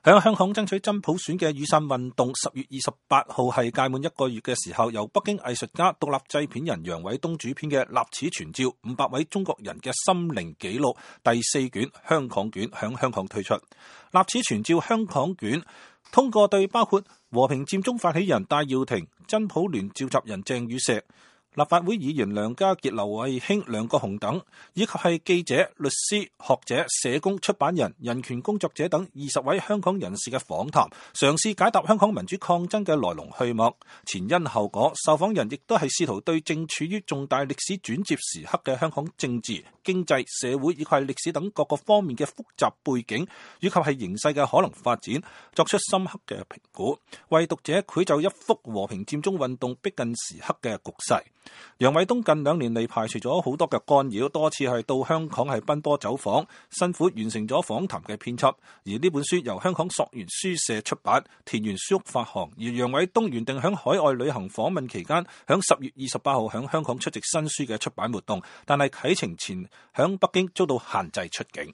喺香港爭取真普選嘅雨傘運動10月28號係屆滿1個月嘅時候，由北京藝術家、獨立製片人楊偉東主編嘅《立此存照500位中國人嘅心靈紀錄》第4卷香港卷響香港推出。《立此存照香港卷》通過對包括和平佔中發起人戴耀廷、真普聯召集人鄭宇碩、立法會議員梁家傑、劉慧卿、梁國雄等，以及係記者、律師、學者、社工、出版人、人權工作者等20位香港人士嘅訪談，嘗試解答香港民主抗爭嘅來龍去脈、前因後果。受訪人亦都係試圖對正處於重大歷史轉折時刻嘅香港政治、經濟、社會以及係歷史等各個方面嘅複雜背景，以及係形勢嘅可能發展，作出深刻嘅評估，為讀者繪就一幅和平佔中運動逼近時刻嘅局勢。楊偉東近2年嚟排除咗好多嘅干擾，多次係到香港係奔波走訪，辛苦完成咗訪談嘅編輯。而呢本書由香港溯源書社出版，田園書屋發行。而楊偉東原定響海外旅行訪問期間，響10月28號響香港出席新書嘅出版活動，但係啟程前響北京遭到限制出境。